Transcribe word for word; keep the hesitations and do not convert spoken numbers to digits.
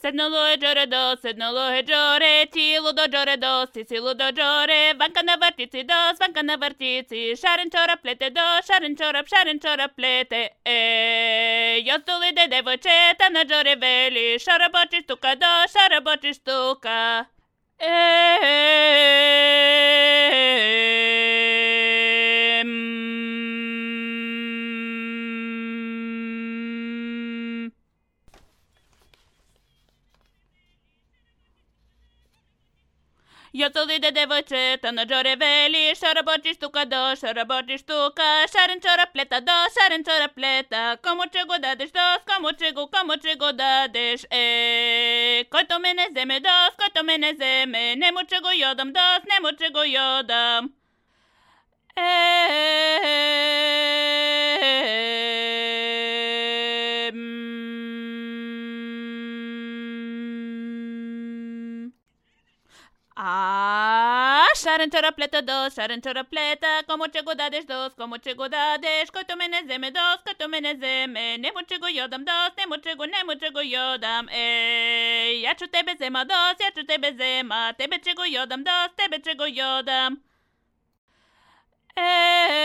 Sedno lo e giore do, sedno lo e giore, ti ludo giore do, si si ludo giore, vanka na vrtici dos, vanka na vrtici, šaren čorap plete do, šaren čorap, šaren čorap plete, e, jostuli de devojčeta na giore veli, šaraboči štuka do, šaraboči štuka, e, Jostuli de devojčeta na giore veli, šaraboči štuka do, šaraboči štuka, šaren čorap pleta do, šaren čorap pleta, komu čego dadeš dos, komu čego, komu čego dadeš, e, koj to mene zeme dos, koj to mene zeme, nemu čego jodam dos, nemu čego jodam, e, A, šaren čorap pleta dos, šaren čorap pleta, komu čego dadeš dos, komu čego dadeš, koj to mene zeme dos, koj to mene zeme, nemu čego jodam dos, nemu čego, nemu čego jodam, ej, ja ću tebe zema dos, ja ću tebe zema, tebe čego jodam dos, tebe čego jodam, ej.